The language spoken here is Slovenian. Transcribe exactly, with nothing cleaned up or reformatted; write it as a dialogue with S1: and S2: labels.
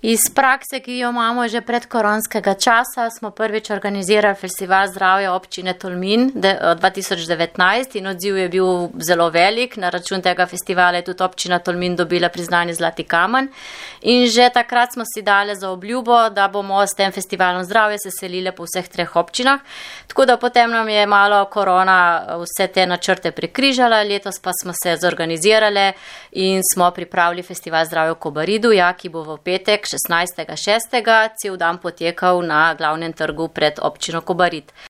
S1: Iz prakse, ki jo imamo že pred koronskega časa, smo prvič organizirali Festival zdravja občine Tolmin dva tisoč devetnajst in odziv je bil zelo velik. Na račun tega festivala je tudi občina Tolmin dobila priznanje Zlati kamen. In že takrat smo si dali za obljubo, da bomo s tem festivalom zdravja se selili po vseh treh občinah. Tako da potem nam je malo korona vse te načrte prekrižala, letos pa smo se zorganizirali in smo pripravili Festival zdravja v Kobaridu, ja, ki bo v petek šestnajstega šestega cel dan potekal na glavnem trgu pred občino Kobarid.